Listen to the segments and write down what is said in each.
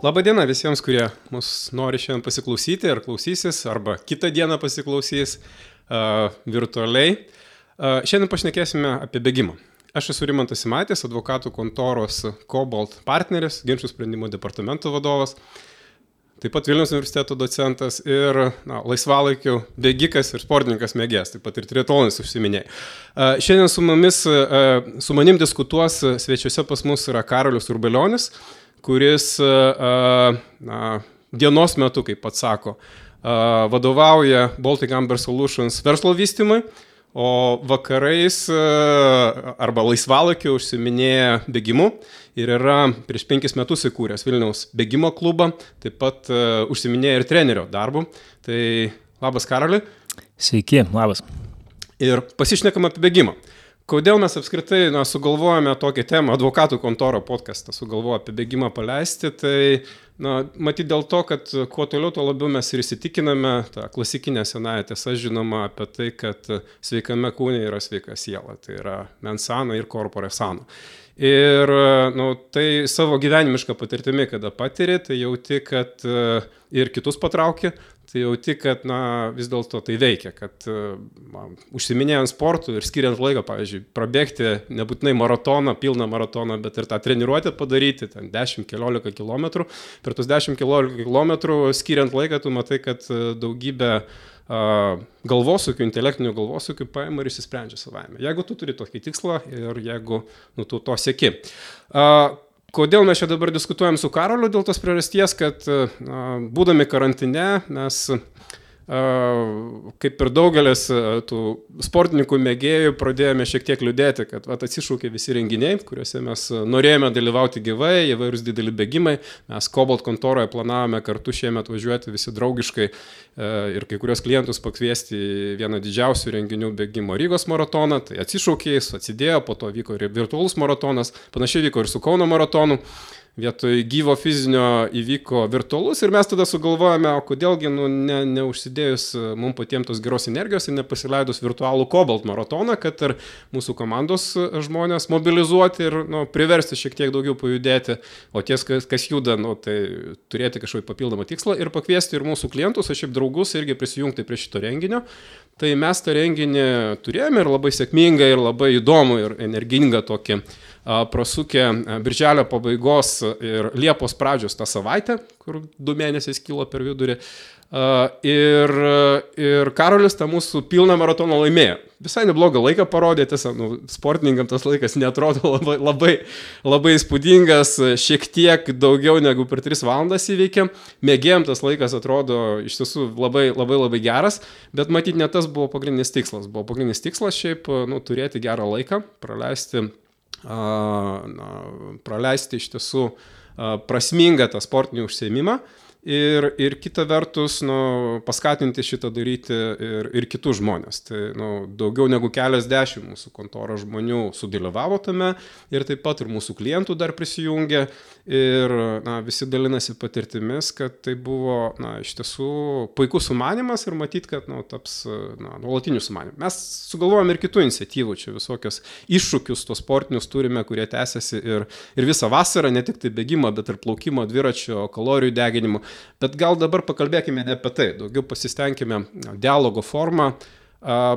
Labą dieną visiems, kurie mus nori šiandien pasiklausyti ar klausysis, arba kitą dieną pasiklausys virtualiai. Šiandien pašnekėsime apie bėgimą. Aš esu Rimantas Simaitis, advokatų kontoros Cobalt partneris, ginčių sprendimo departamento vadovas, taip pat Vilniaus universiteto docentas ir laisvalaikių bėgikas ir sportininkas mėgėjas, taip pat ir triatlonas užsiminėjai. Šiandien su manim diskutuos svečiuose pas mus yra Karolis Urbelionis, kuris dienos metu, kaip pats sako, vadovauja Baltic Amber Solutions verslo vystymui, o vakarais arba laisvalaikiu užsiminėja bėgimu ir yra prieš 5 metus įkūręs Vilniaus bėgimo klubą, taip pat užsiminėja ir trenerio darbu. Tai labas, Karoli. Sveiki, labas. Ir pasišnekam apie bėgimą. Kodėl mes apskritai sugalvojame tokią temą, advokatų kontoro podcastą sugalvojo apie bėgimą paleisti, tai matyt dėl to, kad kuo toliau, tuo labiau mes ir įsitikiname, ta klasikinė senąja tiesa žinoma apie tai, kad sveikame kūne yra sveika siela, tai yra mens sano ir corpore sano. Ir tai savo gyvenimišką patirtimi, kada patiri, tai jauti, kad ir kitus patrauki, tai jauti, kad vis dėlto tai veikia, kad užsiminėjant sportų ir skiriant laiką, pavyzdžiui, prabėgti nebūtinai maratoną, pilną maratoną, bet ir tą treniruotę padaryti, ten 10-15 km. Per tus 10-15 km skiriant laiką, tu matai, kad daugybė galvosūkių, intelektinių galvosūkių paima ir išsisprendžia savaime. Jeigu tu turi tokį tikslą ir jeigu tu to sieki. Kodėl mes čia dabar diskutuojam su Karoliu? Dėl tos priežasties, kad būdami karantine mes, kaip ir daugelis tų sportininkų mėgėjų, pradėjome šiek tiek liūdėti, kad atsišaukė visi renginiai, kuriuose mes norėjome dalyvauti gyvai, įvairūs dideli bėgimai. Mes Cobalt kontoroje planavome kartu šiemet važiuoti visi draugiškai ir kai kurios klientus pakviesti į vieną didžiausių renginių bėgimo Rygos maratoną. Tai atsišaukė, atsidėjo, po to vyko ir virtualus maratonas, panašiai vyko ir su Kauno maratonu. Vietoj gyvo fizinio įvyko virtualus ir mes tada sugalvojame, o kodėlgi neužsidėjus mums patiems tos geros energijos ir nepasileidus virtualų Cobalt maratoną, kad ir mūsų komandos žmonės mobilizuoti ir priversti šiek tiek daugiau pajudėti, o ties, kas juda, tai turėti kažkokį papildomą tikslą ir pakviesti ir mūsų klientus, o šiaip draugus irgi prisijungti prie šito renginio. Tai mes tą renginį turėjome ir labai sėkmingą, ir labai įdomų, ir energingą tokį prasukę birželio pabaigos ir Liepos pradžios tą savaitę, kur 2 mėnesiais kilo per vidurį. Ir Karolis tą mūsų pilną maratoną laimėjo. Visai neblogą laiką parodė, tiesa, sportininkam tas laikas neatrodo labai įspūdingas, šiek tiek daugiau negu per 3 valandas įveikė. Mėgėjom tas laikas atrodo iš tiesų labai geras, bet matyt ne tas buvo pagrindinis tikslas. Buvo pagrindinis tikslas šiaip turėti gerą laiką, praleisti iš tiesų prasmingą tą sportinį užsiėmimą. Ir kita vertus, paskatinti šitą daryti ir kitus žmonės. Tai daugiau negu keliasdešimt mūsų kontoro žmonių sudalyvavo tame ir taip pat ir mūsų klientų dar prisijungė ir visi dalinasi patirtimis, kad tai buvo iš tiesų puikus sumanymas ir matyt, kad taps nuolatiniu sumanymu. Mes sugalvojame ir kitų iniciatyvų, čia visokios iššūkius tos sportinius turime, kurie tęsiasi ir visą vasarą, ne tik tai bėgimo, bet ir plaukimo, dviračio, kalorijų deginimo. Bet gal dabar pakalbėkime ne apie tai, daugiau pasistengime dialogo formą,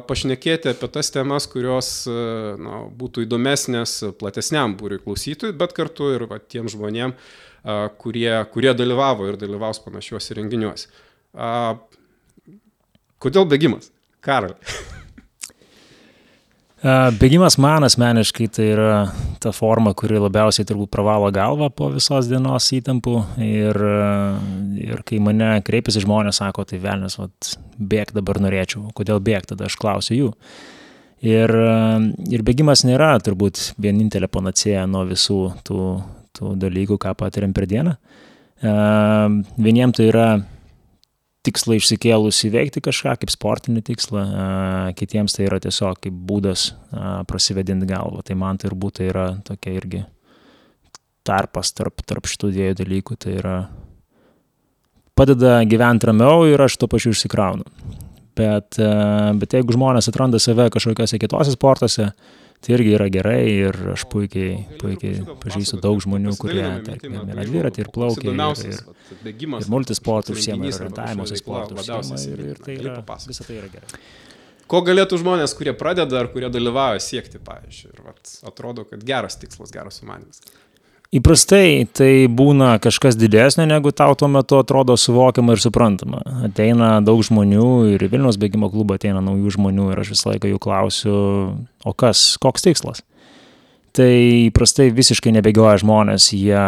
pašnekėti apie tas temas, kurios būtų įdomesnės platesniam būriui klausytojų, bet kartu ir tiem žmonėm, kurie dalyvavo ir dalyvaus panašiuose renginiuose. Kodėl bėgimas? Karoli. Bėgimas man asmeniškai tai yra ta forma, kuri labiausiai turbūt pravalo galvą po visos dienos įtampų ir kai mane kreipiasi žmonės, sako, tai velnias, bėg dabar norėčiau, kodėl bėg, tada aš klausiu jų. Ir bėgimas nėra turbūt vienintelė panacėja nuo visų tų dalykų, ką patiriam per dieną. Vieniem tai yra tikslą išsikėlus įveikti kažką, kaip sportinį tikslą, kitiems tai yra tiesiog kaip būdas prasivedinti galvą. Tai man tai turbūt yra tokia irgi tarpas tarp šitų dviejų dalykų. Tai yra padeda gyventi ramiau ir aš tuo pačiu išsikraunu. Bet jeigu žmonės atranda save kažkokiuose kitose sportuose, Tai irgi yra gerai ir aš puikiai pažįstu daug žmonių, kurie, tarkim, yra dviratį ir plaukia, ir multisportų užsiema, ir orientavimosi sportų užsiema, ir tai yra, visą tai yra gerai. Ko galėtų žmonės, kurie pradeda ar kurie dalyvauja siekti, pavyzdžiui, ir atrodo, kad geras tikslas, geras sumanymas? Įprastai tai būna kažkas didesnio, negu tau tuo metu atrodo suvokiama ir suprantama. Ateina daug žmonių ir į Vilniaus bėgimo klubą ateina naujų žmonių ir aš visą laiką jų klausiu, o koks tikslas? Tai įprastai visiškai nebėgioja žmonės, jie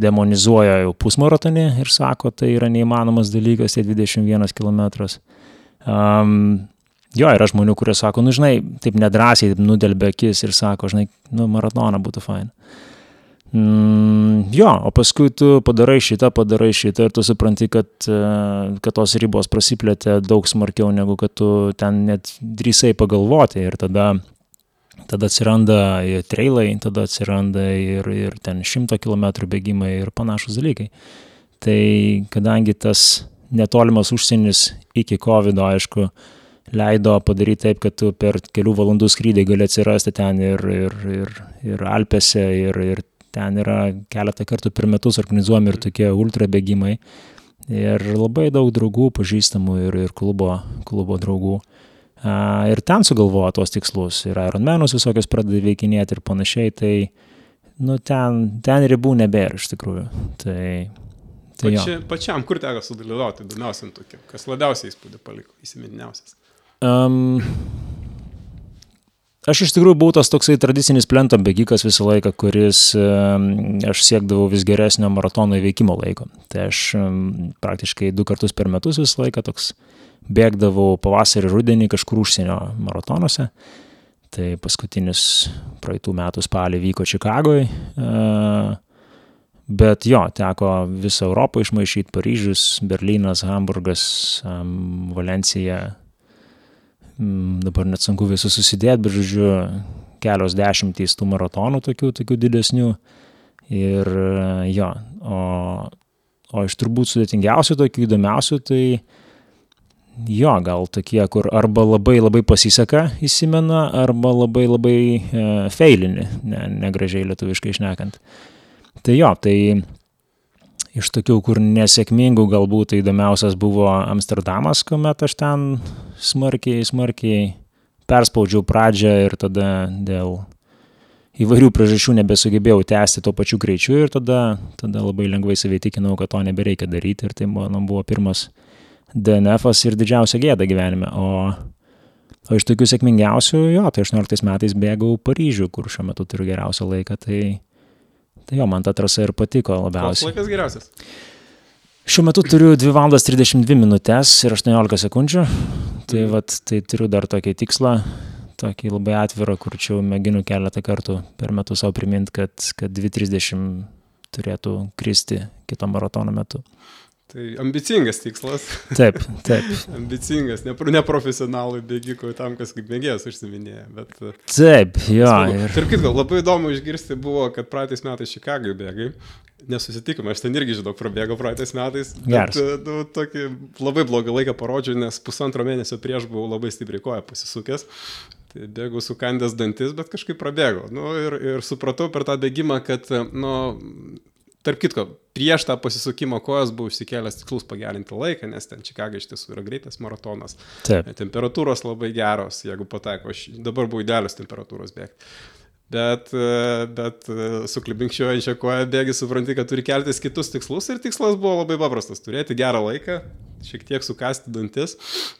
demonizuoja jau pusmaratonį ir sako, tai yra neįmanomas dalykas, tai 21 kilometras. Jo, yra žmonių, kurie sako, žinai, taip nedrąsiai, taip nudelbė akis ir sako, žinai, maratoną būtų fain. Jo, o paskui tu padarai šitą ir tu supranti, kad tos ribos prasiplėtė daug smarkiau, negu kad tu ten net drįsai pagalvoti ir tada atsiranda ir trailai, tada atsiranda ir ten 100 kilometrų bėgimai ir panašus dalykai. Tai kadangi tas netolimas užsienis iki COVID, aišku, leido padaryti taip, kad tu per kelių valandų skrydį gali atsirasti ten ir Alpėse, ir ten yra keletą kartų per metus organizuojami ir tokie ultra bėgimai. Ir labai daug draugų, pažįstamų ir klubo draugų. Ir ten sugalvoja tos tikslus. Ir Ironmanus visokios pradeda veikinėti ir panašiai. Tai ten ribų nebėra iš tikrųjų. Tai Pačiam, kur teko sudalyvauti įdomiausiam tokiam? Kas labiausiai įspūdį paliko, įsimintiniausias? Aš iš tikrųjų buvau tas toksai tradicinis plento bėgikas visą laiką, kuris aš siekdavau vis geresnio maratono įveikimo laiko. Tai aš praktiškai 2 kartus per metus visą laiką toks bėgdavau pavasarį rudenį kažkur užsienio maratonuose. Tai paskutinis praeitų metų spalį vyko Čikagoje. Bet jo, teko visą Europą išmaišyti, Paryžius, Berlynas, Hamburgas, Valencija. Dabar net sunku visus susidėti, bet žodžiu, kelios dešimtys tų maratonų tokių didesnių. Ir jo, o iš turbūt sudėtingiausių, tokių įdomiausių, tai jo, gal tokie, kur arba labai labai pasiseka įsimena, arba labai labai feilini, negražiai lietuviškai šnekant. Tai jo, tai iš tokių, kur nesėkmingų galbūt įdomiausias buvo Amsterdamas, kuomet aš ten smarkiai perspaudžiau pradžią ir tada dėl įvairių priežasčių nebesugebėjau tęsti to pačiu greičiu ir tada labai lengvai save įtikinau, kad to nebereikia daryti ir tai buvo pirmas DNF-as ir didžiausia gėda gyvenime. O iš tokių sėkmingiausių, jo, tai 18 metais bėgau Paryžių, kur šiuo metu turiu geriausią laiką, tai jo, man ta trasa ir patiko labiausiai. Koks laikas geriausias? Šiuo metu turiu 2 valandas 32 minutės ir 18 sekundžių. Tai turiu dar tokį tikslą, tokį labai atvirą, kur čia mėginu keletą kartų per metus savo priminti, kad 2:30 turėtų kristi kito maratono metu. Tai ambicingas tikslas. Taip. Ambicingas, neprofesionalui bėgikui, tam, kas kaip mėgėjas užsiminėja. Bet, taip, jo. Tarp kitko, labai įdomu išgirsti buvo, kad praeitais metais Čikagoje bėgai. Nesusitikome, aš ten irgi, žinau, prabėgo praeitais metais. Bet tokį labai blogą laiką parodžiau, nes 1,5 mėnesio prieš buvau labai stipriai koją pasisukęs. Tai bėgau sukandęs dantis, bet kažkaip prabėgo. Ir supratau per tą bėgimą, kad, tarp kitko, prieš tą pasisukimą kojas buvau išsikėlęs tikslus pagerinti laiką, nes ten Čikaga iš tiesų yra greitas maratonas. Taip. Temperatūros labai geros, jeigu pataiko. Aš dabar buvau idealios temperatūros bėgti. Bet suklibinkščiuojančią koją bėgi, supranti, kad turi keltis kitus tikslus ir tikslas buvo labai paprastas. Turėti gerą laiką, šiek tiek sukasti dantis,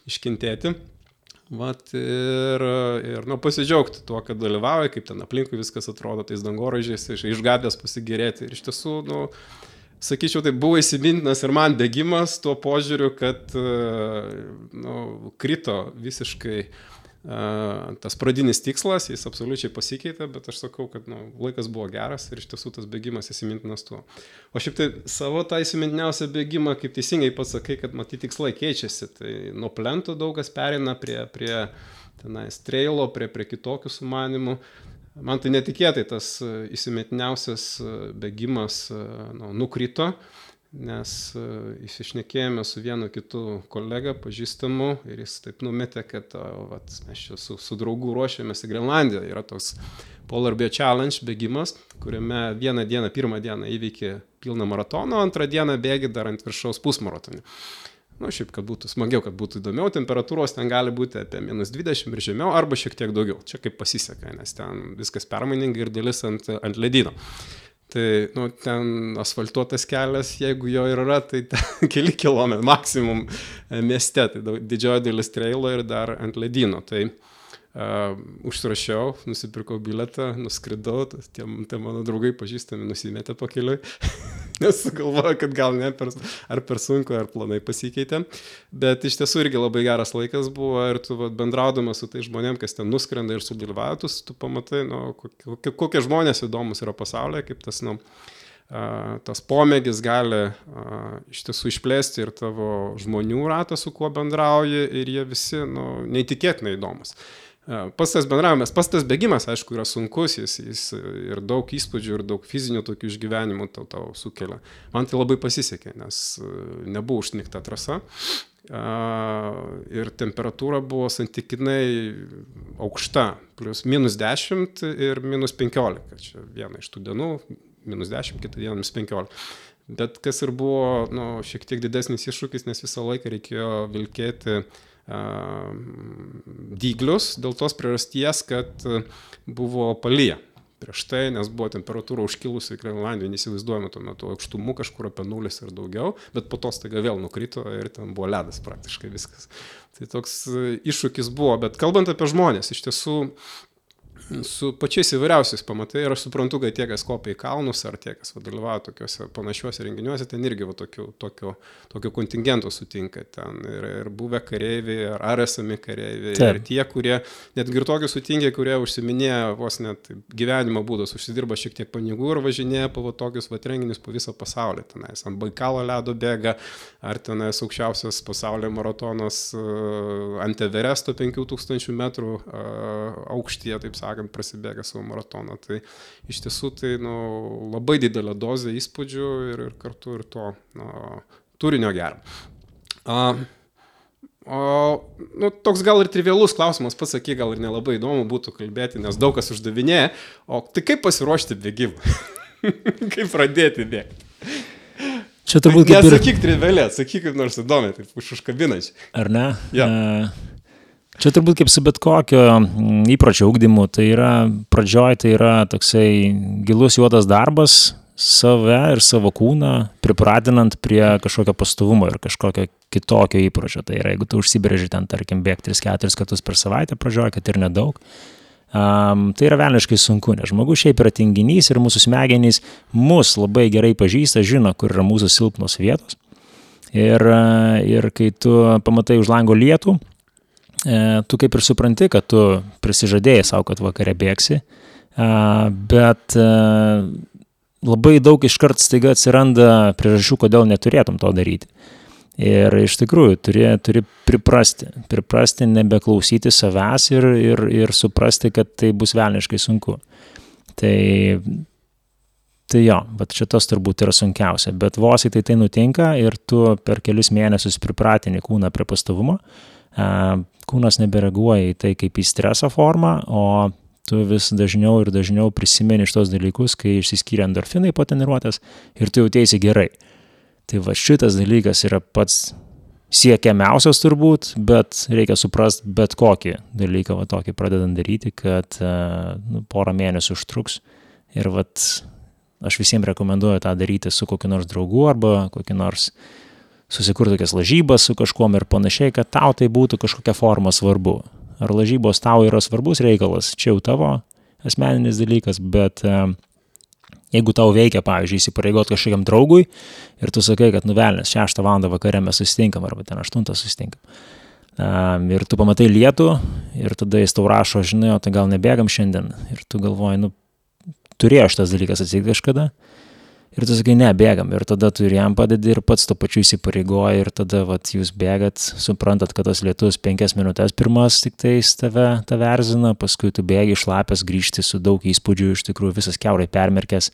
iškentėti. Ir pasidžiaugti tuo, kad dalyvauja, kaip ten aplinkui viskas atrodo, tais dangoraižiais, iš gatvės pasigėrėti. Ir iš tiesų, sakyčiau, tai buvo įsimintinas ir man bėgimas tuo požiūriu, kad krito visiškai tas pradinis tikslas, jis absoliučiai pasikeitė, bet aš sakau, kad laikas buvo geras ir iš tiesų tas bėgimas įsimintinas tuo. O šiaip tai savo tą įsimintiniausią bėgimą, kaip teisingai pats sakai, kad matyti tikslai keičiasi, tai nuo plento daug kas pereina prie tenais trailo, prie kitokių sumanimų. Man tai netikėtai tas įsimintiniausias bėgimas nukrito nes išsišnekėjome su vienu kitu kolega, pažįstamu, ir jis taip numetė, kad mes čia su draugu ruošiamės į Grenlandiją. Yra toks Polar Bear Challenge bėgimas, kuriame pirmą dieną įveikė pilną maratoną, antrą dieną bėgi dar ant viršaus pusmaratonį. Šiaip, kad būtų smagiau, kad būtų įdomiau, temperatūros ten gali būti apie -20 ir žemiau, arba šiek tiek daugiau. Čia kaip pasiseka, nes ten viskas permainingai ir dalis ant ledyno. Tai ten asfaltuotas kelias, jeigu jo ir yra, tai keli kilometrai maksimum mieste, tai didžioji dalis trailo ir dar ant ledyno. Tai užsirašiau, nusipirkau biletą, nuskridau, tie mano draugai pažįstami nusimetė po keliui, nes galvoju, kad gal ne ar per sunku, ar planai pasikeitė. Bet iš tiesų irgi labai geras laikas buvo ir tu bendraudamas su tai žmonėm, kas ten nuskrenda ir sudalyvauja, tu pamatai, kokie žmonės įdomus yra pasaulyje, kaip tas pomėgis gali iš tiesų išplėsti ir tavo žmonių ratą, su kuo bendrauji, ir jie visi neįtikėtinai įdomus. Pats tas bendravimas, pats tas bėgimas, aišku, yra sunkus, jis ir daug įspūdžių, ir daug fizinių tokių išgyvenimų tau sukelia. Man tai labai pasisekė, nes nebuvo užsnigta trasa ir temperatūra buvo santykinai aukšta, plius -10 ir -15. Čia viena iš tų dienų, -10, kitą dieną -15. Bet kas ir buvo šiek tiek didesnis iššūkis, nes visą laiką reikėjo vilkėti dyglius dėl tos priežasties, kad buvo palyja prieš tai, nes buvo temperatūra užkilusi Grenlandijoje, neįsivaizduojame tuo metu aukštumų kažkur apie 0 ir daugiau, bet po to staiga vėl nukrito ir ten buvo ledas praktiškai viskas. Tai toks iššūkis buvo, bet kalbant apie žmonės, iš tiesų su pačiais įvairiausiais pamatai, ir aš suprantu, kad tie, kas kopia į kalnus, ar tie, kas dalyvauja tokiuose panašiuose renginiuose, ten irgi tokio kontingento sutinka ten ir buvę kareiviai, ar esami kareiviai, ir tie, kurie, netgi ir tokie sutinka, kurie užsiminėja vos net gyvenimo būdas, užsidirba šiek tiek pinigų ir važinėja po tokius renginius po visą pasaulį, tenais ant Baikalo ledo bėga, ar tenais aukščiausias pasaulio maratonas ant Everesto 5000 metrų aukštyje, taip sakant, prasibėga savo maratoną. Tai iš tiesų tai labai didelė dozė įspūdžių ir kartu ir to turinio gero. Toks gal ir trivialus klausimas, pats saky, gal ir nelabai įdomu būtų kalbėti, nes daug kas uždavinėja, o tai kaip pasiruošti bėgimą? Kaip pradėti bėgti? Čia turbūt kaip ir... Nesakyk trivialiai, sakyk kaip nors įdomiai, taip užkabinančiai. Ar ne? Ja. Čia turbūt kaip su bet kokio įpročio ugdymu, tai yra pradžioj, tai yra toksai gilus juodas darbas save ir savo kūną, pripratinant prie kažkokio pastovumo ir kažkokio kitokio įpročio. Tai yra, jeigu tu užsibrėži ten, tarkim, bėgti 3-4 kartus per savaitę pradžioj, kad ir nedaug, tai yra velniškai sunku, nes žmogus šiaip yra tinginys ir mūsų smegenys mus labai gerai pažįsta, žino, kur yra mūsų silpnos vietos. Ir kai tu pamatai už lango lietų, tu kaip ir supranti, kad tu prisižadėjai savo, kad vakare bėgsi, bet labai daug iškart staiga atsiranda priežasčių, kodėl neturėtum to daryti. Ir iš tikrųjų turi priprasti nebeklausyti savęs ir suprasti, kad tai bus velniškai sunku. Tai jo, bet šitas turbūt yra sunkiausia, bet vos į tai nutinka ir tu per kelius mėnesius pripratini kūną prie pastovumo, kūnas nebereaguoja į tai kaip į streso formą, o tu vis dažniau ir dažniau prisimeni šitos dalykus, kai išsiskyrė endorfinai po treniruotės ir tu jautiesi gerai. Tai va šitas dalykas yra pats siekiamiausias turbūt, bet reikia suprasti bet kokį dalyką, va tokį pradedant daryti, kad porą mėnesių užtruks. Ir aš visiems rekomenduoju tą daryti su kokiu nors draugu arba kokiu nors susikurti tokias lažybas su kažkuom ir panašiai, kad tau tai būtų kažkokia forma svarbu. Ar lažybos tau yra svarbus reikalas, čia jau tavo asmeninis dalykas, bet jeigu tau veikia, pavyzdžiui, įsipareigot kažkokiam draugui ir tu sakai, kad nuvelnės 6 valandą vakare mes susitinkam arba ten 8 susitinkam. Ir tu pamatai lietų ir tada jis tau rašo, žinai, o tai gal nebėgam šiandien. Ir tu galvoji, turėjo šitas dalykas atsitikti kažkada. Ir tu sakai, ne, bėgam. Ir tada tu ir jam padedi ir pats to pačiu įsipareigoji ir tada jūs bėgat, suprantat, kad tas lietus 5 minutės pirmas tik tais tave erzina, paskui tu bėgi šlapęs, grįžti su daug įspūdžių, iš tikrųjų visas kiaurai permerkęs,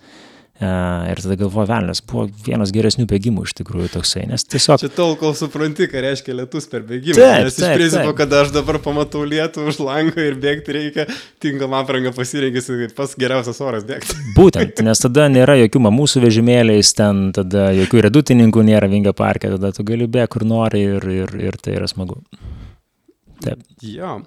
Ir tada galvoju, velnias, buvo vienas geresnių bėgimų iš tikrųjų toksai, nes tiesiog... Čia tol, kol supranti, ką reiškia lietus per bėgimą, nes iš principo, kada aš dabar pamatau lietų už lango ir bėgti reikia, tinkamą aprangą pasirinkęs, pas geriausias oras bėgti. Būtent, nes tada nėra jokių mamų su vežimėliais, ten tada jokių redutininkų nėra Vingio parke, tada tu gali bėgti kur nori ir tai yra smagu. Taip. Jo.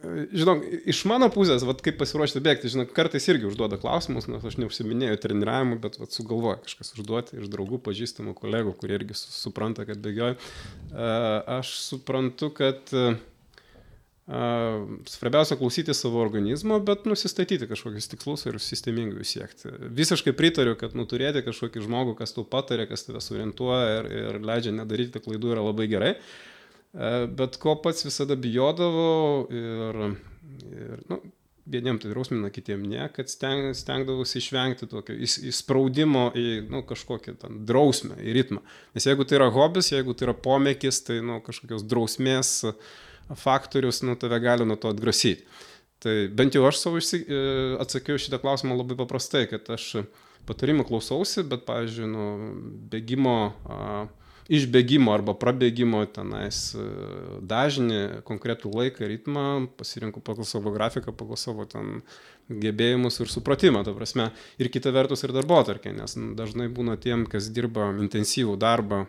Žinok, iš mano pusės, kaip pasiruošti bėgti, žinok, kartais irgi užduoda klausimus, nes aš neužsiminėjau treniravimu, bet sugalvoja kažkas užduoti iš draugų, pažįstamų kolegų, kurie irgi supranta, kad bėgioju. Aš suprantu, kad svarbiausia klausyti savo organizmo, bet nusistatyti kažkokius tikslus ir sistemingai jų siekti. Visiškai pritariu, kad turėti kažkokį žmogų, kas tau patarė, kas tave orientuoja ir leidžia nedaryti klaidų yra labai gerai. Bet ko pats visada bijodavau ir vieniem tai drausmina, kitiem ne, kad stengdavausi išvengti tokio įspraudimo į kažkokią drausmę, į ritmą. Nes jeigu tai yra hobis, jeigu tai yra pomėkis, tai kažkokios drausmės faktorius tave gali nuo to atgrasyti. Tai bent jau aš savo atsakiau šitą klausimą labai paprastai, kad aš patarimų klausausi, bet, pavyzdžiui, bėgimo... iš bėgimo arba prabėgimo tenais dažnį, konkretų laiką, ritmą, pasirinku pagal savo grafiką, pagal savo gebėjimus ir supratimą, ta prasme. Ir kita vertus ir darbotvarkė, nes dažnai būna tiem, kas dirba intensyvų darbą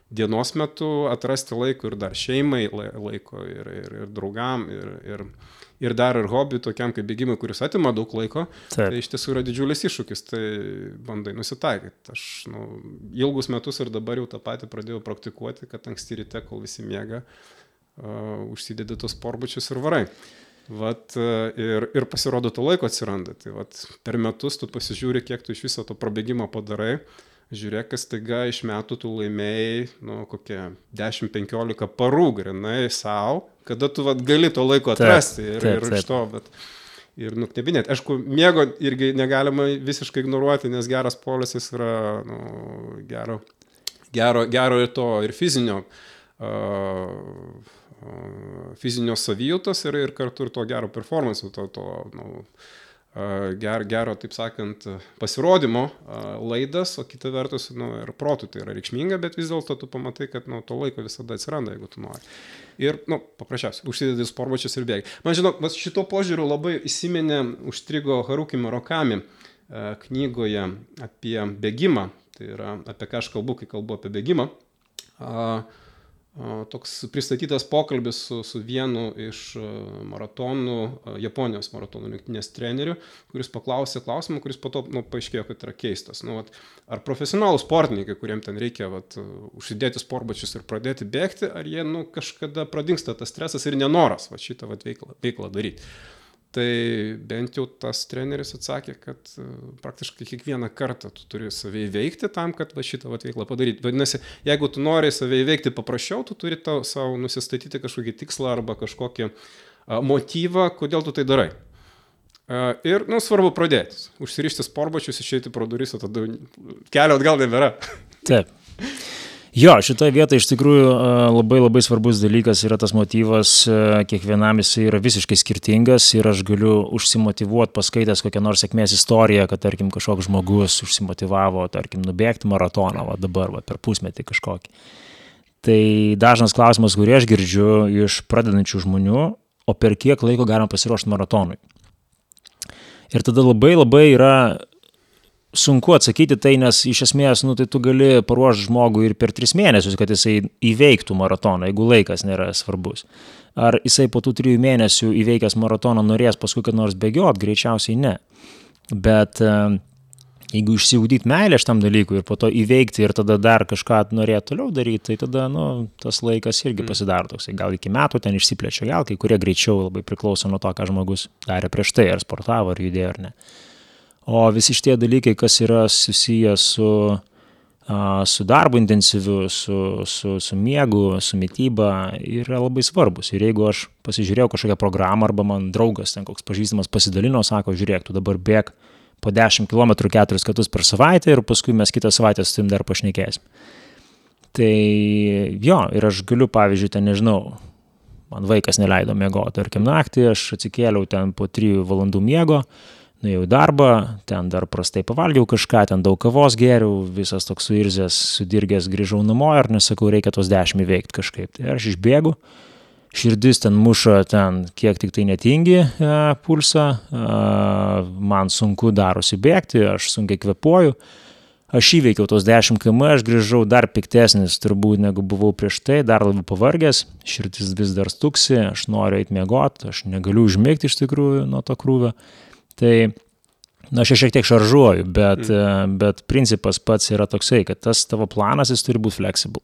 dienos metu, atrasti laiko ir dar šeimai laiko ir draugam ir dar ir hobi tokiam kaip bėgimai, kuris atima daug laiko, tai iš tiesų yra didžiulis iššūkis, tai bandai nusitaikyti. Aš ilgus metus ir dabar jau tą patį pradėjau praktikuoti, kad anksti ryte, kol visi miega, užsidedi tos sportbačius ir varai. Ir pasirodo to laiko atsiranda. Tai per metus tu pasižiūri, kiek tu iš viso to prabėgimo padarai. Žiūrėk, kas taiga iš metų tu laimėjai, kokie 10-15 parų grinai savo, kada tu gali to laiko atrasti ir iš to, ir knebinėti. Aišku, miego irgi negalima visiškai ignoruoti, nes geras poilsis yra gero ir to, ir fizinio savijautos ir kartu ir to gero performance, gero, taip sakant, pasirodymo laidas, o kita vertus, ir protų tai yra reikšminga, bet vis dėlto tu pamatai, kad to laiko visada atsiranda, jeigu tu nori. Ir, paprasčiausiai, užsidedi sportbačius ir bėgi. Man žinok, šito požiūriu labai įsiminė, užstrigo Haruki Murakami knygoje apie bėgimą, tai yra apie ką aš kalbu, kai kalbu apie bėgimą. Toks pristatytas pokalbis su vienu iš Japonijos maratonų rinktinės treneriu, kuris paklausė klausimą, kuris po to paaiškėjo, kad yra keistas. Ar profesionalų sportininkai, kuriem ten reikia užsidėti sportbačius ir pradėti bėgti, ar jie kažkada pradingsta tas stresas ir nenoras šitą veiklą daryti. Tai bent jau tas treneris atsakė, kad praktiškai kiekvieną kartą tu turi save įveikti tam, kad šitą veiklą padaryti. Vadinasi, jeigu tu nori save įveikti paprasčiau, tu turi savo nusistatyti kažkokį tikslą arba kažkokį motyvą, kodėl tu tai darai. Ir, svarbu pradėti. Užsirišti sportbačius, išeiti pro duris, o tada kelio atgal nebėra. Taip. Jo, šitoje vietoje iš tikrųjų labai svarbus dalykas yra tas motyvas, kiekvienam jis yra visiškai skirtingas ir aš galiu užsimotyvuoti paskaitęs kokią nors sėkmės istoriją, kad tarkim kažkoks žmogus užsimotyvavo, tarkim, nubėgti maratoną, dabar per pusmetį kažkokį. Tai dažnas klausimas, kurį aš girdžiu iš pradedančių žmonių, o per kiek laiko galima pasiruošti maratonui. Ir tada labai yra sunku atsakyti tai, nes iš esmės, tai tu gali paruošti žmogų ir per 3 mėnesius, kad jisai įveiktų maratoną, jeigu laikas nėra svarbus. Ar jisai po tų 3 mėnesių įveikęs maratoną norės paskui kad nors bėgiot, greičiausiai ne. Bet jeigu išsiugdyti meilę šitam dalykui ir po to įveikti ir tada dar kažką norėti toliau daryti, tai tada tas laikas irgi pasidaro toksai. Gal iki metų ten išsiplečia, gal kai kurie greičiau, labai priklauso nuo to, ką žmogus darė prieš tai, ar sportavo, ar judėjo, ar ne. O visi šitie dalykai, kas yra susiję su darbu intensyviu, su miegu, su mityba, yra labai svarbus. Ir jeigu aš pasižiūrėjau kažkokią programą arba man draugas, ten koks pažįstamas pasidalino, sako, žiūrėk, tu dabar bėg po 10 km 4 kartus per savaitę ir paskui mes kitą savaitę su tim dar pašnekėsim. Tai jo, ir aš galiu, pavyzdžiui, ten nežinau, man vaikas neleido miegoti, tarkim naktį, aš atsikėliau ten po 3 valandų miego, nuėjau į darbą, ten dar prastai pavalgiau kažką, ten daug kavos geriau, visas toks suirzęs, sudirgęs grįžau namo ir nesakau, reikia tos 10 įveikti kažkaip. Tai aš išbėgu, širdis ten muša ten kiek tik tai netingi pulsą, man sunku darosi bėgti, aš sunkiai kvepuoju. Aš įveikiau tos 10 km, aš grįžau dar piktesnis turbūt negu buvau prieš tai, dar labiau pavargęs, širdis vis dar stuksi, aš noriu eiti miegoti, aš negaliu užmigti iš tikrųjų nuo to krūvio. Tai aš šiek tiek šaržuoju, bet principas pats yra toksai, kad tas tavo planas jis turi būti flexible.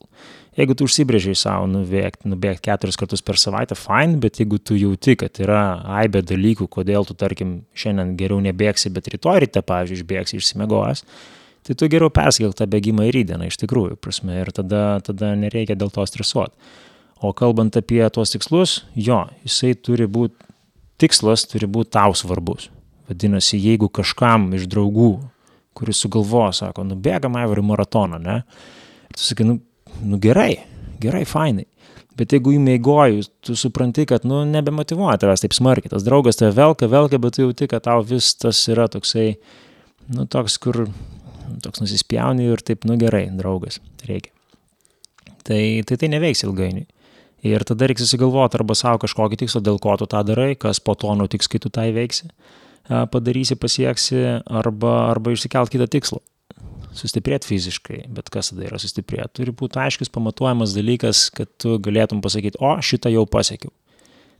Jeigu tu užsibrėžiai savo nubėgti 4 kartus per savaitę, fine, bet jeigu tu jauti, kad yra aibė dalykų, kodėl tu, tarkim, šiandien geriau nebėgsi, bet rytoj ryte, pavyzdžiui, išbėgsi išsimiegojęs, tai tu geriau persikelk tą bėgimą į rytdieną, iš tikrųjų, prasme, ir tada nereikia dėl to stresuoti. O kalbant apie tuos tikslus, tikslas turi būti tau svarbus. Vadinasi, jeigu kažkam iš draugų, kuris sugalvoja, sako, bėgam Aivarį maratoną, ne? Ir tu sakai, gerai, fainai. Bet jeigu įmeigoju, tu supranti, kad, nebemotyvuoja tavęs taip smarkiai. Tas draugas tave velka, bet tu jauti, kad tau vis tas yra toksai, toks, kur toks nusispjauni ir taip, gerai, draugas, reikia. Tai neveiks ilgainiui. Ir tada reiks susigalvoti arba savo kažkokį tikslą, dėl ko tu tą darai, kas po to nutiks, kai tu tą įveiksi, padarysi, pasieksi, arba išsikelt kitą tikslą. Sustiprėti fiziškai, bet kas tada yra sustiprėti? Turi būti aiškus, pamatuojamas dalykas, kad tu galėtum pasakyti, šitą jau pasiekiau.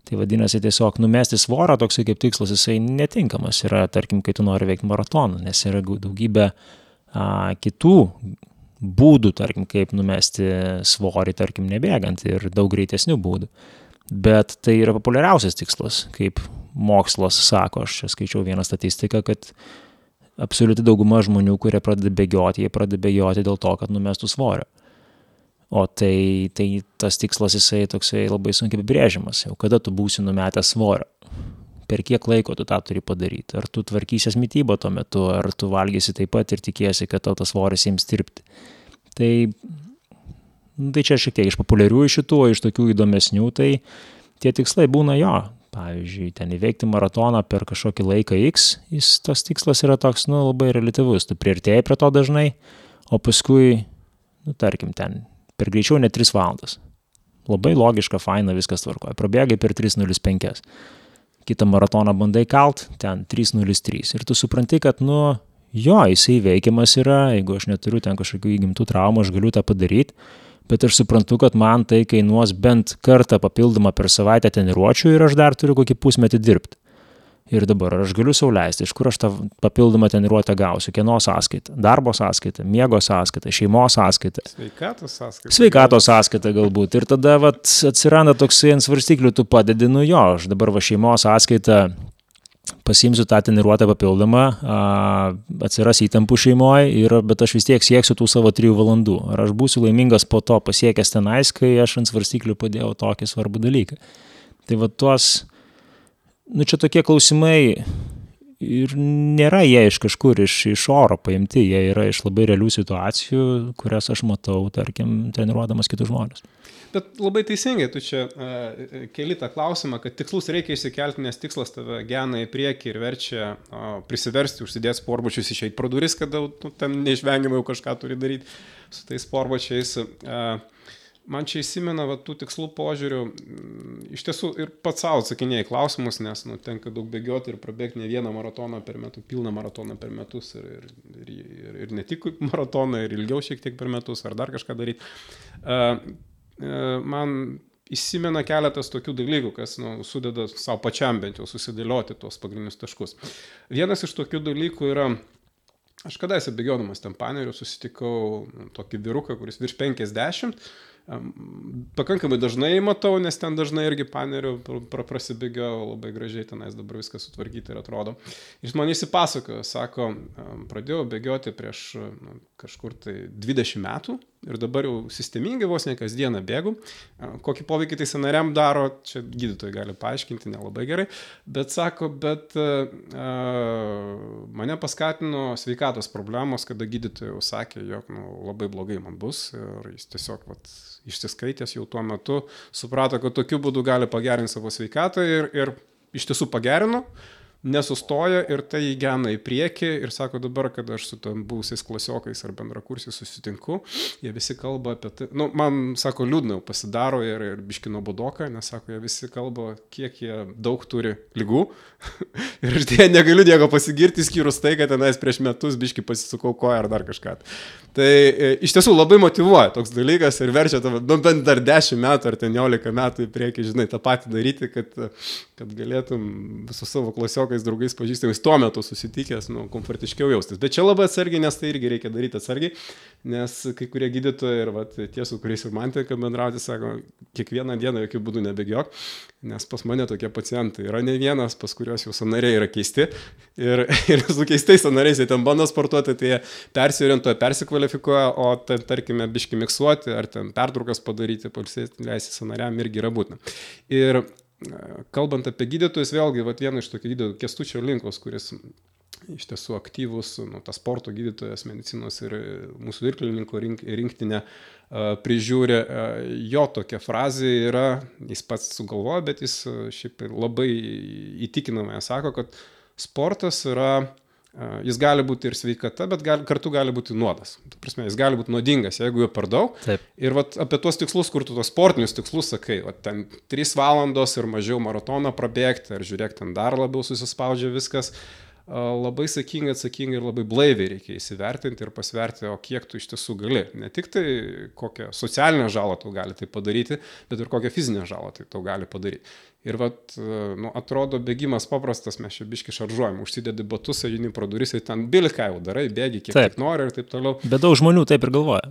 Tai vadinasi tiesiog numesti svorą, toksai kaip tikslas, jisai netinkamas yra, tarkim, kai tu nori veikti maratoną, nes yra daugybė kitų būdų, tarkim, kaip numesti svorį, tarkim, nebėgant ir daug greitesnių būdų. Bet tai yra populiariausias tikslas, kaip mokslas sako, aš čia skaičiau vieną statistiką, kad absoliuti dauguma žmonių, kurie pradeda bėgioti, jie pradeda bėgioti dėl to, kad numestų svorio. O tai tas tikslas jisai toksai labai sunkiai apibrėžiamas, jau kada tu būsi numetęs svorio. Per kiek laiko tu tą turi padaryti? Ar tu tvarkysies mitybą tuo metu, ar tu valgysi taip pat ir tikiesi, kad tau tas svoris ims tirpti. Tai čia šiek tiek iš populiarių šitų, iš tokių įdomesnių, tai tie tikslai būna pavyzdžiui, ten įveikti maratoną per kažkokį laiką X, tas tikslas yra toks, labai reliatyvus. Tu priartėjai prie to dažnai, o paskui, tarkim, ten per greičiau ne 3 valandas. Labai logiška, faina, viskas tvarkoja. Prabėgai per 3:05. Kitą maratoną bandai kalt, ten 3:03. Ir tu supranti, kad, jisai veikiamas yra, jeigu aš neturiu ten kažkokių įgimtų traumų, aš galiu tą padaryti, bet aš suprantu, kad man tai kainuos bent kartą papildomą per savaitę treniruočių ir aš dar turiu kokį pusmetį dirbti. Ir dabar aš galiu sau leisti, iš kur aš tą papildomą treniruotę gausiu, kieno sąskaita, darbo sąskaita, miego sąskaita, šeimos sąskaita. Sveikatos sąskaita galbūt. Ir tada atsiranda toksai ant svarstyklių, tu padedi, aš dabar šeimos sąskaita pasiimsiu tą treniruotę papildomą, atsiras įtampų šeimoje, bet aš vis tiek sieksiu tų savo 3 valandų. Ar aš būsiu laimingas po to pasiekęs tenais, kai aš ant svarstyklių padėjau tokį svarbų dalyką. Tai tuos čia tokie klausimai ir nėra jie iš kažkur, iš oro paimti, jie yra iš labai realių situacijų, kurias aš matau, tarkim, treniruodamas kitus žmonės. Bet labai teisingai, tu čia keli tą klausimą, kad tikslus reikia išsikelti, nes tikslas tave gena į priekį ir verčia prisiversti, užsidėti sportbačius, išeiti pro duris, kada ten neišvengiamai jau kažką turi daryti su tais sportbačiais. Man čia įsimena tų tikslų požiūrių, iš tiesų ir pats savo atsakinėjai klausimus, nes tenka daug bėgioti ir prabėgti ne vieną maratoną per metus, pilną maratoną per metus ir ne tik maratoną, ir ilgiau šiek tiek per metus, ar dar kažką daryti. Man įsimena keletas tokių dalykų, kas sudeda savo pačiam bent jau susidėlioti tuos pagrindinius taškus. Vienas iš tokių dalykų yra, aš kadaise bėgiodamas ten Paneriu susitikau tokį vyruką, kuris virš 50, pakankamai dažnai matau, nes ten dažnai irgi Paneriu prasibėgiau labai gražiai, tenais dabar viskas sutvarkyti ir atrodo. Jis man įsipasakojo, sako, pradėjau bėgioti prieš kažkur tai 20 metų ir dabar jau sistemingai vos ne kasdieną bėgu. Kokį poveikį tai sąnariam daro, čia gydytojai gali paaiškinti, nelabai gerai, bet sako, mane paskatino sveikatos problemos, kada gydytojai sakė, jog labai blogai man bus ir jis tiesiog išsiskaitęs jau tuo metu suprato, kad tokiu būdu gali pagerinti savo sveikatą ir iš tiesų pagerino. nesustoja ir tai įgena į priekį ir sako dabar, kad aš su tam buvusiais klasiokais ar bendrakursiais susitinku, jie visi kalba apie tai, nu, man, sako, liūdna pasidaro ir biški nuobodoka, nes, sako, jie visi kalba, kiek jie daug turi ligų ir aš dėja negaliu nieko pasigirti, skyrus tai, kad tenais prieš metus biški pasisukau koją ar dar kažką. Tai iš tiesų labai motyvuoja toks dalykas ir verčia tave, nu, bent dar 10 metų ar 11 metų į priekį, žinai, tą patį daryti, kad galėtum su savo klasiokais, draugais, pažįstamais tuo metu susitikęs, nu, komfortiškiau jaustis. Bet čia labai atsargiai, nes tai irgi reikia daryti atsargiai, nes kai kurie gydytojai ir vat, tie, su kuriais ir man tenka bendrauti, sako, kiekvieną dieną jokių būdų nebėgiok, nes pas mane tokie pacientai yra ne vienas, pas kurios jau sąnariai yra keisti ir su keistais sąnariais jie ten bando sportuoti, tai jie persiorientuoja, persikvalifikuoja, o ten, tarkime, biški miksuoti ar ten pertraukas padaryti, pailsėti, leisti sąnariam irgi yra būtina. Ir kalbant apie gydytojus, vėlgi, vat, viena iš tokių gydytojų, Kęstučio Linkos, kuris iš tiesų aktyvus, nu, tas sporto gydytojas, medicinos ir mūsų irklininkų rinktinę prižiūri, jo tokia frazė yra, jis pats sugalvoja, bet jis šiaip labai įtikinamai sako, kad sportas yra, jis gali būti ir sveikata, bet kartu gali būti nuodas. Ta prasme, jis gali būti nuodingas, jeigu jo per daug. Taip. Ir vat, apie tuos tikslus, kur tu tos sportinius tikslus sakai, vat, ten 3 valandos ir mažiau maratoną prabėgti, ar žiūrėk, ten dar labiau susispaudžia viskas. Labai atsakingai ir labai blaiviai reikia įsivertinti ir pasverti, o kiek tu iš tiesų gali. Ne tik tai kokią socialinę žalą tau gali tai padaryti, bet ir kokią fizinę žalą tai tau gali padaryti. Ir vat, nu, atrodo, bėgimas paprastas, mes čia biški šaržuojam, užsidedi batus, eini pro duris, ten bilką jau darai, bėgi kiek nori ir taip toliau. Bet daug žmonių taip ir galvoja.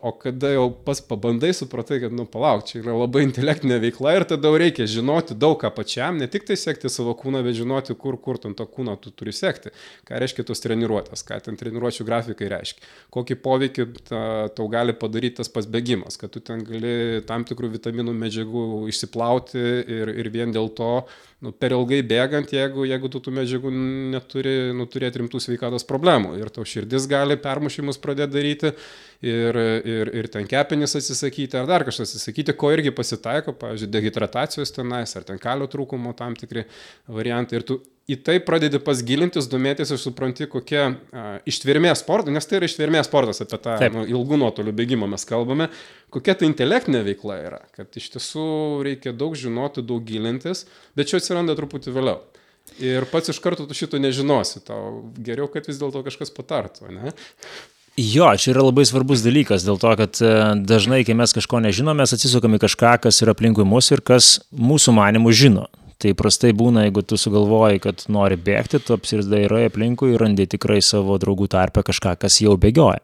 O kada jau pas pabandai, supratai, kad, nu, palauk, čia yra labai intelektinė veikla ir tada reikia žinoti daug ką pačiam, ne tik tai sekti savo kūną, bet žinoti, kur ten to kūną tu turi sekti. Ką reiškia tos treniruotės, ką ten treniruočių grafikai reiškia. Kokį poveikį tau gali padaryti tas pats bėgimas, kad tu ten gali tam tikrų vitaminų medžiagų išsiplauti ir vien dėl to, nu, per ilgai bėgant, jeigu tu tų medžiagų neturi, nu, turėti rimtų sveikatos problemų. Ir tau širdis gali permušimus pradėti daryti ir ten kepenis atsisakyti, ar dar kažkas atsisakyti, ko irgi pasitaiko, pavyzdžiui, dehidratacijos tenais, ar ten kalio trūkumo tam tikri variantai. Ir tu į tai pradedi pasgilintis, domėtis ir supranti, kokia ištvermės sportas, nes tai yra ištvermės sportas, apie tą ilgų nuotolių bėgimą mes kalbame, kokia tai intelektinė veikla yra, kad iš tiesų reikia daug žinoti, daug gilintis, bet čia atsiranda truputį vėliau. Ir pats iš karto tu šito nežinosi, tau geriau, kad vis dėlto kažkas patartų, ne? Jo, čia yra labai svarbus dalykas, dėl to, kad dažnai, kai mes kažko nežinom, mes atsisukame kažką, kas yra aplinkui mus ir kas mūsų manimų žino. Tai prastai būna, jeigu tu sugalvoji, kad nori bėgti, tu apsirdairai aplinkui ir randi tikrai savo draugų tarpe kažką, kas jau bėgioja.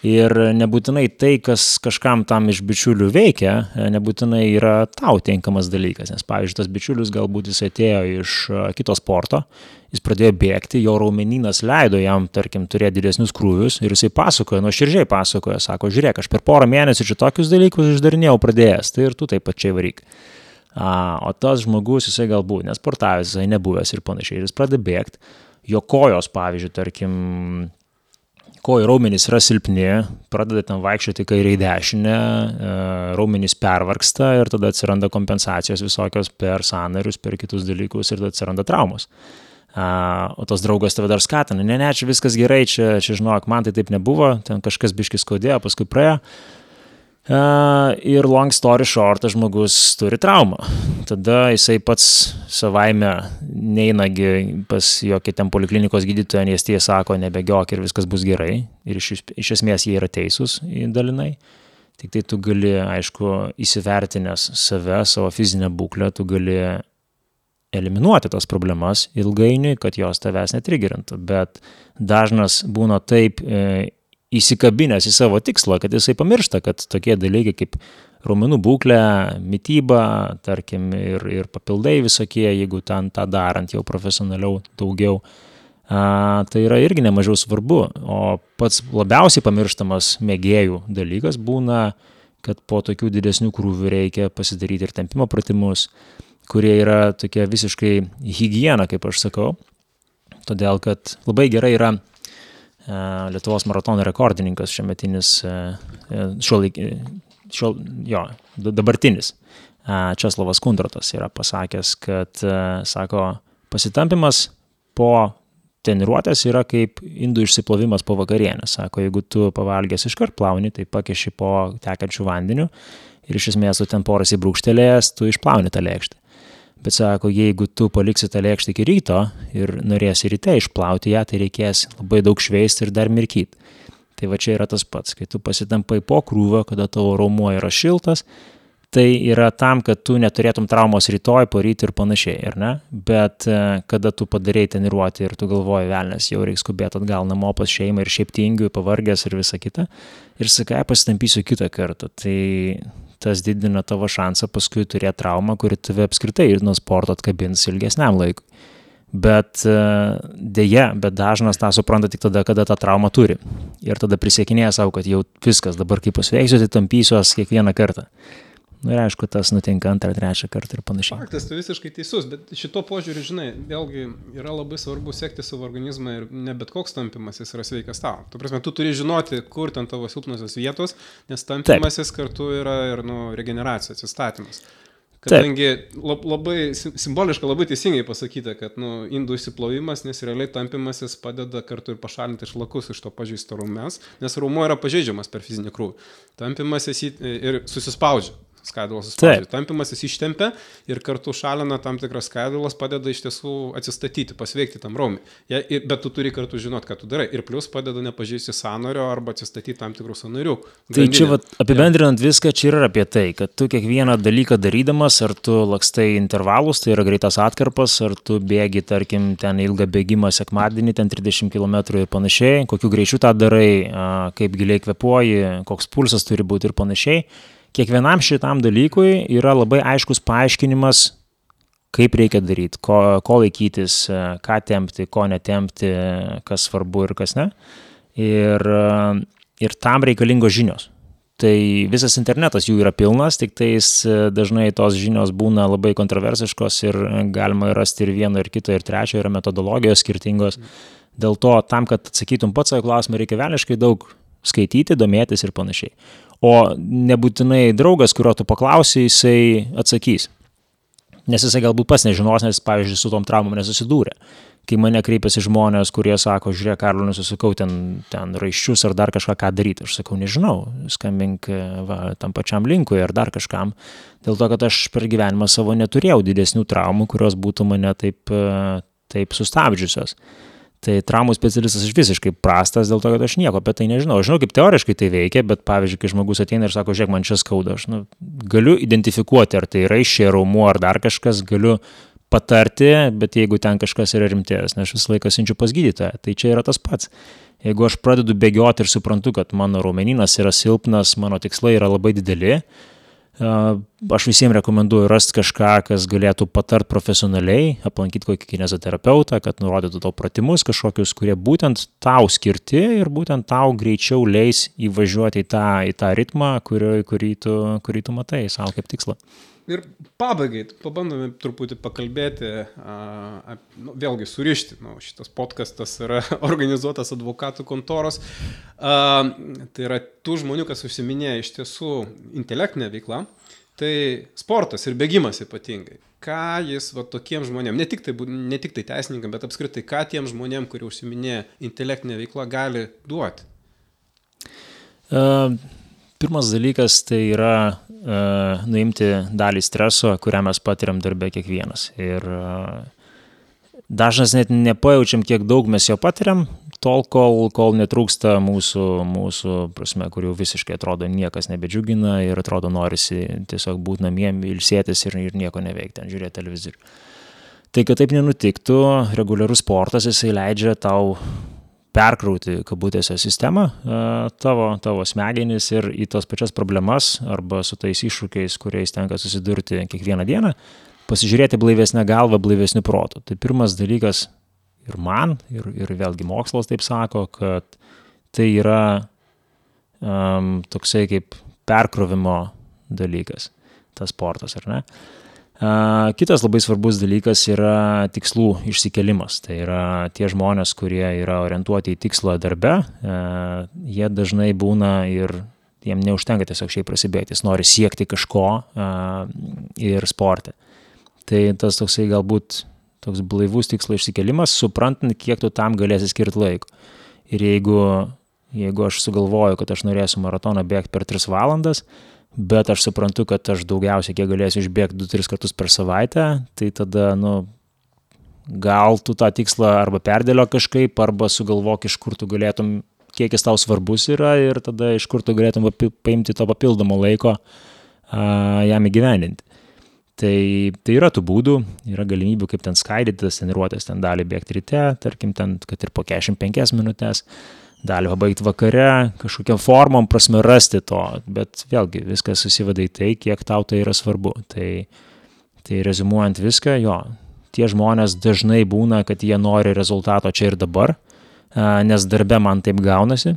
Ir nebūtinai tai, kas kažkam tam iš bičiulių veikia, nebūtinai yra tau tinkamas dalykas. Nes, pavyzdžiui, tas bičiulis galbūt jis atėjo iš kito sporto, jis pradėjo bėgti, jo raumenynas leido jam, tarkim, turėti didesnius krūvius ir jisai pasakoja, nuoširdžiai pasakoja, sako, žiūrėk, aš per porą mėnesių čia tokius dalykus išdarinėjau pradėjęs, tai ir tu taip pačiai varyk. O tas žmogus, jisai galbūt nesportavęs, jisai nebuvęs ir panašiai, ir jis pradeda bėgti, jo kojos, pavyzdžiui, tarkim, kojų raumenys yra silpni, pradeda ten vaikščioti kairę į dešinę, raumenys pervargsta ir tada atsiranda kompensacijos visokios per sąnarius, per kitus dalykus ir tada atsiranda traumos. O tos draugas tave dar skatina, ne, čia viskas gerai, čia žinok, man tai taip nebuvo, ten kažkas biškis skaudėjo, paskui praėjo. Ir long story short, žmogus turi traumą. Tada jisai pats savaime neinagi pas jokį ten poliklinikos gydytoją, nes tie sako, nebėgiok ir viskas bus gerai. Ir iš esmės jie yra teisūs dalinai. Tik tai tu gali, aišku, įsivertinęs save, savo fizinę būklę, tu gali eliminuoti tas problemas ilgainiui, kad jos tavęs netrigerintų. Bet dažnas būna taip įsikabinęs į savo tikslą, kad jisai pamiršta, kad tokie dalykai kaip raumenų būklė, mityba, tarkim, ir papildai visokie, jeigu ten tą darant jau profesionaliau daugiau, tai yra irgi nemažiau svarbu. O pats labiausiai pamirštamas mėgėjų dalykas būna, kad po tokių didesnių krūvių reikia pasidaryti ir tempimo pratimus, kurie yra tokia visiškai higiena, kaip aš sakau. Todėl, kad labai gerai yra Lietuvos maratono rekordininkas šiametinis, dabartinis Česlovas Kundrotas yra pasakęs, kad, sako, Pasitampimas po treniruotės yra kaip indų išsiplovimas po vakarienės. Sako, jeigu tu pavalgęs iškart plauni, tai pakeši po tekančių vandeniu ir iš esmės tu ten poras įbrūkštelėjęs, tu išplauni tą lėkštę. Bet sako, jeigu tu paliksi tą lėkštę iki ryto ir norėsi ryte išplauti ją, tai reikės labai daug šveisti ir dar mirkyti. Tai va čia yra tas pats, kai tu pasitampai po krūvio, kada tavo raumuo yra šiltas, tai yra tam, kad tu neturėtum traumos rytoj, poryt ir panašiai, ar ne? Bet kada tu padarei treniruotę ir tu galvoji, velnės, jau reikia skubėti atgal namo pas šeimą ir šiaip tingiu, pavargęs ir visa kita, ir sakai, pasitampysiu kitą kartą, tai tas didina tavo šansą paskui turėti traumą, kuri tave apskritai nuo sporto atkabins ilgesniam laikui. Bet dėja, bet dažnas tą supranta tik tada, kada tą traumą turi. Ir tada prisiekinėja savo, kad jau viskas, dabar kai pasveiksiu, tai tampysiuos kiekvieną kartą. Ir aišku, tas nutinka antrą, trečią kartą ir panašiai. Faktas, tu visiškai teisus, bet šito požiūrį, žinai, vėlgi yra labai svarbu sekti savo organizmą ir ne bet koks tampimasis yra sveikas tau. Tu prasme, tu turi žinoti, kur ten tavo silpnosios vietos, nes tampimasis kartu yra ir regeneracija, atsistatymas. Kadangi labai simboliškai, labai teisingai pasakyta, kad indų išsiplovimas, nes realiai tampimasis padeda kartu ir pašalinti šlakus iš to pažeisto raumens, nes raumuo yra pažeidžiamas per fizinį krūvį. Tampimasis ir susispaudžia. Skaidulos suspaudžia. Tampimasis ištempia ir kartu šalina tam tikras skaidulas, padeda iš tiesų atsistatyti, pasveikti tam raumį. Bet tu turi kartu žinoti, ką tu darai. Ir plus padeda nepažeisti sąnario arba atsistatyti tam tikrų sąnarių. Tai čia apibendrinant viską, čia yra apie tai, kad tu kiekvieną dalyką darydamas, ar tu lakstai intervalus, tai yra greitas atkarpas, ar tu bėgi, tarkim, ten ilgą bėgimą sekmadienį, ten 30 km ir panašiai, kokiu greičiu tą darai, kaip giliai kvėpuoji, koks pulsas turi būti ir panašiai. Kiekvienam šitam dalykui yra labai aiškus paaiškinimas, kaip reikia daryti, ko laikytis, ką tempti, ko netempti, kas svarbu ir kas ne. Ir tam reikalingos žinios. Tai visas internetas jų yra pilnas, tik tais dažnai tos žinios būna labai kontroversiškos ir galima rasti ir vieno, ir kito, ir trečio, yra metodologijos skirtingos. Dėl to, tam, kad atsakytum pats savo klausimą, reikia velniškai daug skaityti, domėtis ir panašiai. O nebūtinai draugas, kurio tu paklausi, jisai atsakys. Nes jisai galbūt pats nežinos, nes, pavyzdžiui, su tom traumom nesusidūrė. Kai mane kreipiasi žmonės, kurie sako, žiūrėk, Karlo, nesusikau ten raiščius ar dar kažką ką daryti. Aš sakau, nežinau, skambink tam pačiam linkui ar dar kažkam. Dėl to, kad aš per gyvenimą savo neturėjau didesnių traumų, kurios būtų mane taip sustabdžiusios. Tai traumų specialistas aš visiškai prastas dėl to, kad aš nieko apie tai nežinau. Aš žinau, kaip teoriškai tai veikia, bet pavyzdžiui, kai žmogus ateina ir sako, žiūrėk, man čia skauda, aš galiu identifikuoti, ar tai raiščiai, raumuo, ar dar kažkas, galiu patarti, bet jeigu ten kažkas yra rimtės, nes aš visą laiką siunčiu pas gydytoją, tai čia yra tas pats. Jeigu aš pradedu bėgioti ir suprantu, kad mano raumeninas yra silpnas, mano tikslai yra labai dideli, aš visiems rekomenduoju rasti kažką, kas galėtų patart profesionaliai, aplankyti kokį kinezoterapeutą, kad nurodytų tau pratimus kažkokius, kurie būtent tau skirti ir būtent tau greičiau leis įvažiuoti į tą ritmą, kurį tu matai savo kaip tikslą. Ir pabaigai, pabandome truputį pakalbėti, vėlgi surišti, šitas podcastas yra organizuotas advokatų kontoros, tai yra tų žmonių, kas užsiminėja iš tiesų intelektinę veiklą, tai sportas ir bėgimas ypatingai. Ką jis tokiem žmonėm, ne tik tai teisininkam, bet apskritai, ką tiem žmonėm, kurie užsiminėja intelektinę veiklą, gali duoti? Pirmas dalykas tai yra nuimti dalį streso, kurią mes patiriam darbe kiekvienas. Ir dažnas net nepajaučiam, kiek daug mes jo patiriam, tol, kol netrūksta mūsų prasme, kur jau visiškai atrodo niekas nebedžiugina ir atrodo norisi tiesiog būti namie, ilsėtis ir nieko neveikti, ten žiūrėti televizorių. Tai, kad taip nenutiktų, reguliarus sportas, jisai leidžia tau perkrauti kabutėse sistemą, tavo smegenis ir į tos pačias problemas arba su tais iššūkiais, kuriais tenka susidurti kiekvieną dieną, pasižiūrėti blaivesnę galvą, blaivesnių protų. Tai pirmas dalykas ir man, ir vėlgi mokslas taip sako, kad tai yra toksai kaip perkrovimo dalykas, tas sportas, ar ne? Kitas labai svarbus dalykas yra tikslų išsikėlimas. Tai yra tie žmonės, kurie yra orientuoti į tikslą darbe, jie dažnai būna ir jiem neužtenka tiesiog šiaip prasibėgti, jis nori siekti kažko ir sporte. Tai tas toksai galbūt toks blaivus tikslo išsikelimas, suprantant, kiek tu tam galėsi skirti laiko. Ir jeigu aš sugalvoju, kad aš norėsiu maratoną bėgti per 3 valandas, bet aš suprantu, kad aš daugiausiai kiek galėsiu išbėgti 2-3 kartus per savaitę, tai tada, gal tu tą tikslą arba perdėlio kažkaip, arba sugalvok, iš kur tu galėtum, kiek jis tau svarbus yra ir tada iš kur tu galėtum paimti to papildomo laiko jam įgyvendinti. Tai yra tų būdų, yra galimybių, kaip ten skaidyti tas treniruotės, ten dalį bėgti ryte, tarkim, ten, kad ir po 45 minutės, dalį pabaigti vakare, kažkokiam formom prasme rasti to, bet vėlgi viskas susiveda į tai, kiek tau tai yra svarbu. Tai rezumuojant viską, tie žmonės dažnai būna, kad jie nori rezultato čia ir dabar, nes darbe man taip gaunasi,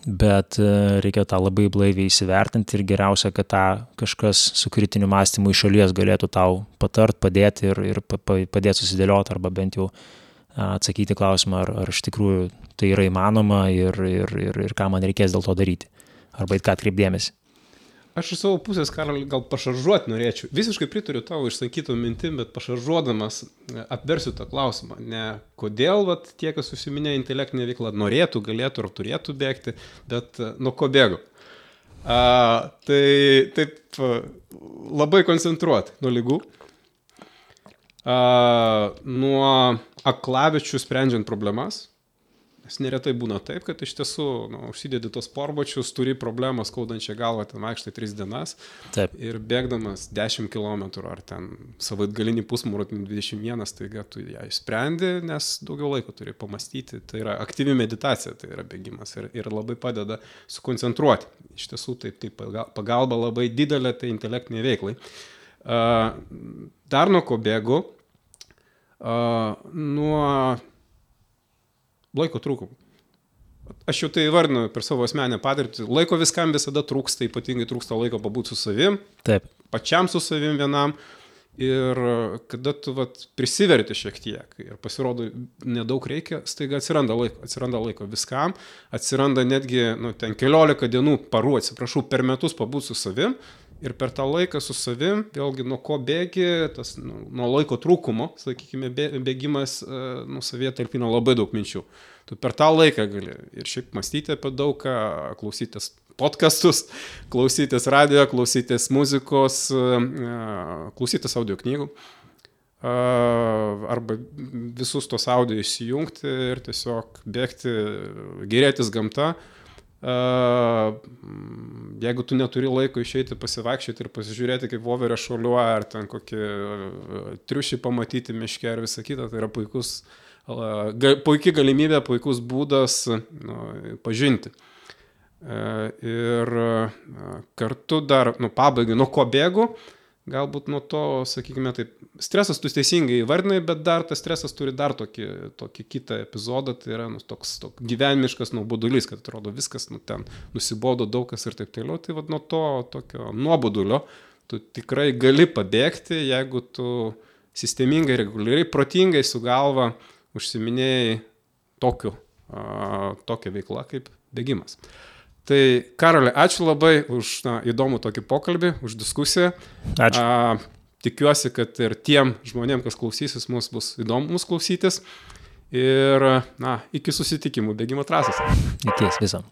bet reikia tą labai blaiviai įsivertinti ir geriausia, kad tą kažkas su kritiniu mąstymu iš šalies galėtų tau patart, padėti ir padėti susidėlioti arba bent jau atsakyti klausimą, ar iš tikrųjų tai yra įmanoma ir ką man reikės dėl to daryti, arba į ką atkreipdėmėsi. Aš iš savo pusės, Karoli, gal pašaržuoti norėčiau. Visiškai pritariu tavo išsakytų mintim, bet pašaržuodamas apversiu tą klausimą. Ne kodėl tie, kas užsiminė intelektinė veikla, norėtų, galėtų ar turėtų bėgti, bet nuo ko bėgu. Tai taip labai koncentruoti nuo lygų. Nuo aklavičių sprendžiant problemas. Nes neretai būna taip, kad iš tiesų užsidedi tos sportbačius, turi problemą skaudančią galvą, ten vaikštai 3 dienas. Taip. Ir bėgdamas 10 km ar ten savaitgalinį pusmaratonį 21, taiga tu ją išsprendi, nes daugiau laiko turi pamastyti. Tai yra aktyvi meditacija, tai yra bėgimas ir labai padeda sukoncentruoti. Iš tiesų tai pagalba labai didelė tai intelektiniai veiklai. Dar nuo ko bėgu? Nuo laiko trūkumų. Aš jau tai įvardinu per savo asmenę patirtį. Laiko viskam visada trūksta, ypatingai trūksta laiko pabūti su savim. Taip. Pačiam su savim vienam. Ir kada tu prisiverti šiek tiek ir pasirodo nedaug reikia, staiga atsiranda laiko viskam. Atsiranda netgi ten 14 dienų, parų, per metus pabūti su savim. Ir per tą laiką su savim, vėlgi nuo ko bėgi, tas nuo laiko trūkumo, sakykime, bėgimas savyje talpina labai daug minčių. Tu per tą laiką gali ir šiaip mąstyti apie daug ką, klausytis podcastus, klausytis radio, klausytis muzikos, klausytis audio knygų. Arba visus tos audio įsijungti ir tiesiog bėgti, gerėtis gamta. Jeigu tu neturi laiko išeiti pasivaikščioti ir pasižiūrėti, kaip voverė šuoliuoja, ar ten kokį triušį pamatyti miške ir visą kitą, tai yra puikia galimybė, puikus būdas pažinti. Ir kartu dar, pabaigai, nuo ko bėgu, galbūt nuo to, sakykime, taip, stresas tu teisingai įvardinai, bet dar tas stresas turi dar tokį kitą epizodą, tai yra toks gyvenimiškas nuobodulys, kad atrodo viskas ten nusibodo daug kas ir taip toliau, tai nuo to tokio nuobodulio tu tikrai gali pabėgti, jeigu tu sistemingai, reguliariai, protingai su galva užsiminėjai tokia veikla kaip bėgimas. Tai, Karoli, ačiū labai už įdomų tokį pokalbį, už diskusiją. Ačiū. Tikiuosi, kad ir tiem žmonėm, kas klausysis, mums bus įdomu klausytis. Ir, iki susitikimų bėgimo trasose. Iki viso.